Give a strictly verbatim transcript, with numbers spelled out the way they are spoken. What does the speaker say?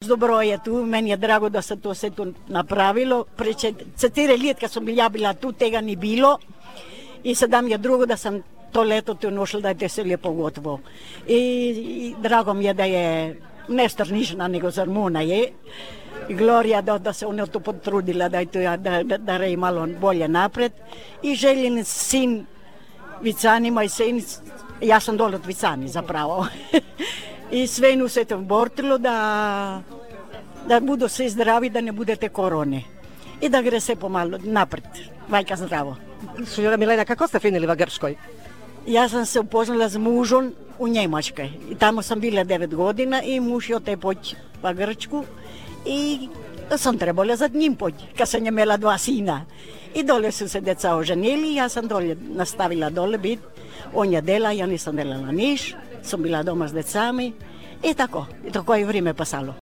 Dobro je tu, meni je drago da se to se tu napravilo. Pre četiri let, kad sam ja bila tu, tega ni bilo. I sada mi je drugo da sam to leto tu našla, da je to sve lijepo gotovo. I, i drago mi je da je ne Strnišna, nego Zarmuna je. I Gloria da, da se ona to potrudila, da je to, da, da, da je malo bolje napred. I željen sin Vicani, moj sin, ja sam dole od Vicani zapravo. I sve nu se to bortilo da, da budu svi zdravi, da ne budete korone. I da gre se pomalo napred, vajka zdravo. Signora Milena, kako ste finili v Grčkoj? Ja sam se upoznala s mužom u Njemačkoj. I tamo sam bila devet godina i muž je ote poći v Grčku. I sam trebala za njim poći, kad sam imela dva sina. I dole su se deca oženili, ja sam dole nastavila dole biti. On je dela, ja nisam delala niš, sam bila doma s decami. I tako, i tako je vrijeme pasalo.